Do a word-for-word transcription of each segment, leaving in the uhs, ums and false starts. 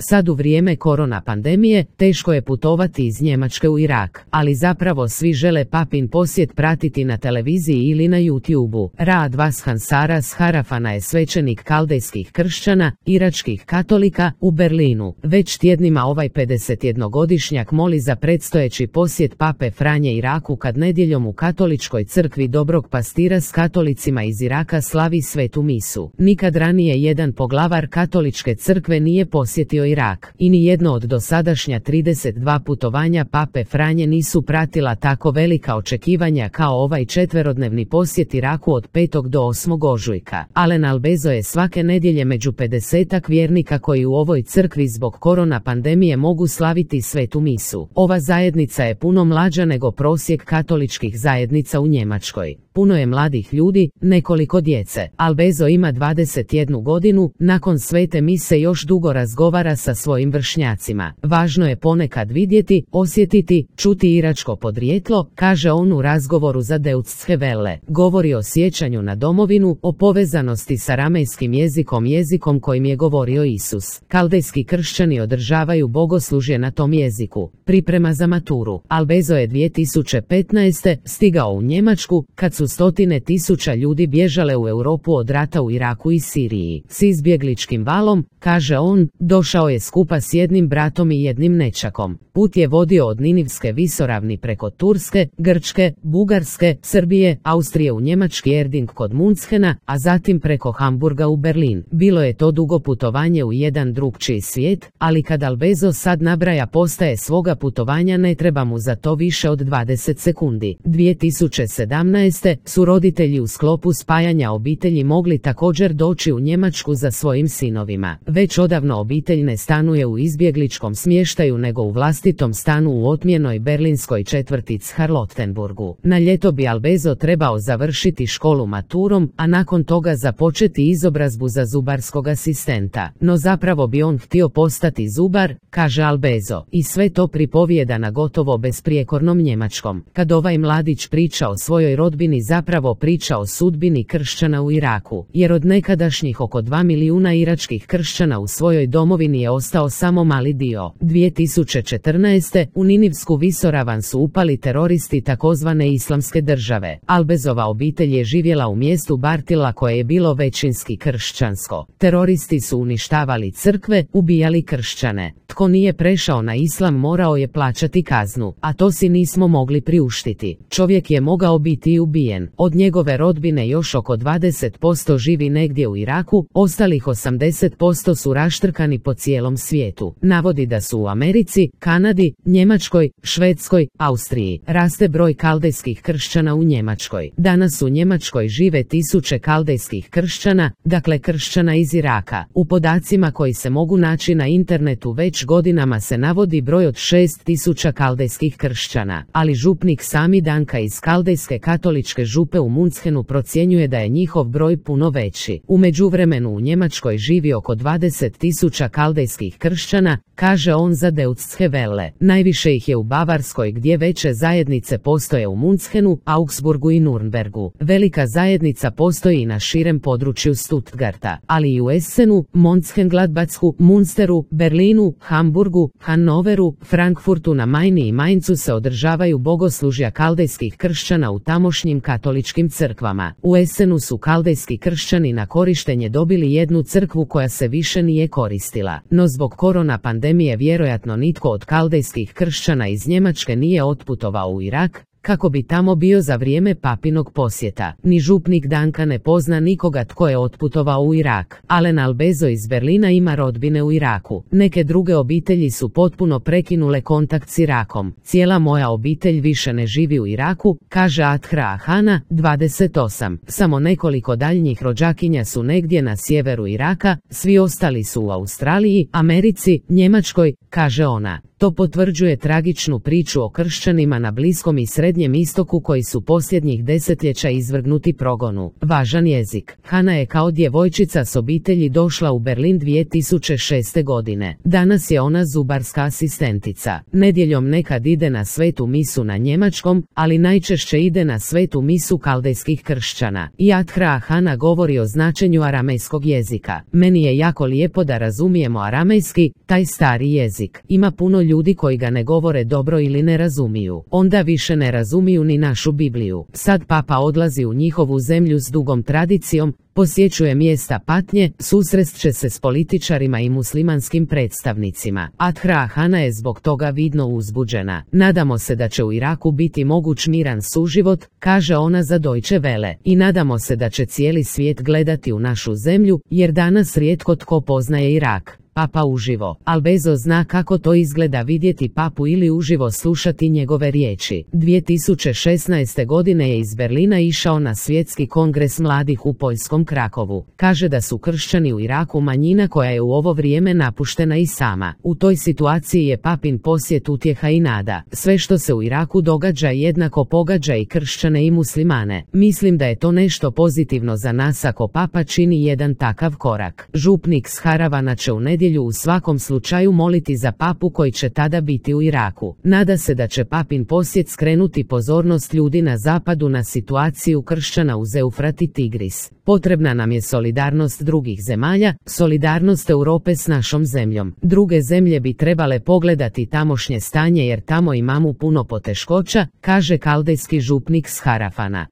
Sad u vrijeme korona pandemije teško je putovati iz Njemačke u Irak, ali zapravo svi žele papin posjet pratiti na televiziji ili na YouTubeu. Raad Vashan Saras Harafana je svećenik kaldejskih kršćana, iračkih katolika, u Berlinu. Već tjednima ovaj pedesetjednogodišnjak moli za predstojeći posjet pape Franje Iraku kad nedjeljom u katoličkoj crkvi Dobrog pastira s katolicima iz Iraka slavi svetu misu. Nikad ranije jedan poglavar katoličke crkve nije posjetio Irak i ni jedno od dosadašnja trideset dva putovanja pape Franje nisu pratila tako velika očekivanja kao ovaj četverodnevni posjet Iraku od petog do osmog ožujka. Alen Albezo je svake nedjelje među pedesetak vjernika koji u ovoj crkvi zbog korona pandemije mogu slaviti svetu misu. Ova zajednica je puno mlađa nego prosjek katoličkih zajednica u Njemačkoj. Puno je mladih ljudi, nekoliko djece. Albezo ima dvadeset jednu godinu, nakon svete mise još dugo razgovara sa svojim vršnjacima. Važno je ponekad vidjeti, osjetiti, čuti iračko podrijetlo, kaže on u razgovoru za Deutsche Welle. Govori o sjećanju na domovinu, o povezanosti sa aramejskim jezikom, jezikom kojim je govorio Isus. Kaldejski kršćani održavaju bogoslužje na tom jeziku. Priprema za maturu. Albezo je dvije tisuće petnaeste. stigao u Njemačku kad su stotine tisuća ljudi bježale u Europu od rata u Iraku i Siriji. S izbjegličkim valom, kaže on, došao je skupa s jednim bratom i jednim nećakom. Put je vodio od Ninivske visoravni preko Turske, Grčke, Bugarske, Srbije, Austrije u njemački Erding kod Munchena, a zatim preko Hamburga u Berlin. Bilo je to dugo putovanje u jedan drugčiji svijet, ali kad Albezo sad nabraja postaje svoga putovanja ne treba mu za to više od dvadeset sekundi. dvije tisuće sedamnaeste. su roditelji u sklopu spajanja obitelji mogli također doći u Njemačku za svojim sinovima. Već odavno obitelj ne stanuje u izbjegličkom smještaju nego u vlastitom stanu u otmjenoj berlinskoj četvrti Charlottenburgu. Na ljeto bi Albezo trebao završiti školu maturom, a nakon toga započeti izobrazbu za zubarskog asistenta. No zapravo bi on htio postati zubar, kaže Albezo, i sve to pripovijeda na gotovo besprijekornom njemačkom. Kad ovaj mladić priča o svojoj rodbini, zapravo priča o sudbini kršćana u Iraku, jer od nekadašnjih oko dva milijuna iračkih kršćana u svojoj domovini je ostao samo mali dio. dvije tisuće četrnaeste. u Ninivsku visoravan su upali teroristi takozvane islamske države. Albezova obitelj je živjela u mjestu Bartila koje je bilo većinski kršćansko. Teroristi su uništavali crkve, ubijali kršćane. Tko nije prešao na islam morao je plaćati kaznu, a to si nismo mogli priuštiti. Čovjek je mogao biti i ubijen. Od njegove rodbine još oko dvadeset posto živi negdje u Iraku, ostalih osamdeset posto su raštrkani po cijelom svijetu. Navodi da su u Americi, Kanadi, Njemačkoj, Švedskoj, Austriji. Raste broj kaldejskih kršćana u Njemačkoj. Danas u Njemačkoj žive tisuće kaldejskih kršćana, dakle kršćana iz Iraka. U podacima koji se mogu naći na internetu već godinama se navodi broj od šest tisuća kaldejskih kršćana, ali župnik Sami Danka iz kaldejske katoličke župe u Munchenu procjenjuje da je njihov broj puno veći. U međuvremenu u Njemačkoj živi oko dvadeset tisuća kaldejskih kršćana, kaže on za Deutsche Welle. Najviše ih je u Bavarskoj gdje veće zajednice postoje u Munchenu, Augsburgu i Nürnbergu. Velika zajednica postoji i na širem području Stuttgarta, ali i u Essenu, Mönchengladbachu, Munsteru, Berlinu, Hamburgu, Hannoveru, Frankfurtu na Majni i Mainzu se održavaju bogoslužja kaldejskih kršćana u tamošnjim katoličkim crkvama. U Essenu su kaldejski kršćani na korištenje dobili jednu crkvu koja se više nije koristila. No zbog korona pandemije vjerojatno nitko od kaldejskih kršćana iz Njemačke nije otputovao u Irak, kako bi tamo bio za vrijeme papinog posjeta. Ni župnik Danka ne pozna nikoga tko je otputovao u Irak. Alen Albezo iz Berlina ima rodbine u Iraku. Neke druge obitelji su potpuno prekinule kontakt s Irakom. Cijela moja obitelj više ne živi u Iraku, kaže Athra Ahana, dvadeset osam. Samo nekoliko daljnjih rođakinja su negdje na sjeveru Iraka, svi ostali su u Australiji, Americi, Njemačkoj, kaže ona. To potvrđuje tragičnu priču o kršćanima na Bliskom i Srednjem istoku koji su posljednjih desetljeća izvrgnuti progonu. Važan jezik. Hana je kao djevojčica s obitelji došla u Berlin dvije tisuće šeste. godine. Danas je ona zubarska asistentica. Nedjeljom nekad ide na svetu misu na njemačkom, ali najčešće ide na svetu misu kaldejskih kršćana. Yadhra Hana govori o značenju aramejskog jezika. Meni je jako lijepo da razumijemo aramejski, taj stari jezik. Ima puno ljudi koji ga ne govore dobro ili ne razumiju. Onda više ne razumiju ni našu Bibliju. Sad papa odlazi u njihovu zemlju s dugom tradicijom, posjećuje mjesta patnje, susrest će se s političarima i muslimanskim predstavnicima. Yadhra Hana je zbog toga vidno uzbuđena. Nadamo se da će u Iraku biti moguć miran suživot, kaže ona za Deutsche Welle. I nadamo se da će cijeli svijet gledati u našu zemlju, jer danas rijetko tko poznaje Irak. Papa uživo. Albezo zna kako to izgleda vidjeti papu ili uživo slušati njegove riječi. dvije tisuće šesnaeste. godine je iz Berlina išao na svjetski kongres mladih u poljskom Krakovu. Kaže da su kršćani u Iraku manjina koja je u ovo vrijeme napuštena i sama. U toj situaciji je papin posjet utjeha i nada. Sve što se u Iraku događa jednako pogađa i kršćane i muslimane. Mislim da je to nešto pozitivno za nas ako papa čini jedan takav korak. Župnik s Haravana će u nedjelju u svakom slučaju moliti za papu koji će tada biti u Iraku. Nada se da će papin posjet skrenuti pozornost ljudi na zapadu na situaciju kršćana uz Eufrat i Tigris. Potrebna nam je solidarnost drugih zemalja, solidarnost Europe s našom zemljom. Druge zemlje bi trebale pogledati tamošnje stanje jer tamo imamo puno poteškoća, kaže kaldejski župnik s Harafana.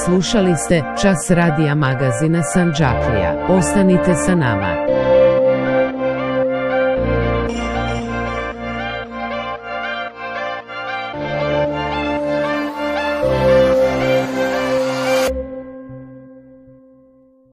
Slušali ste Čas radija magazina Sandžaklija. Ostanite sa nama.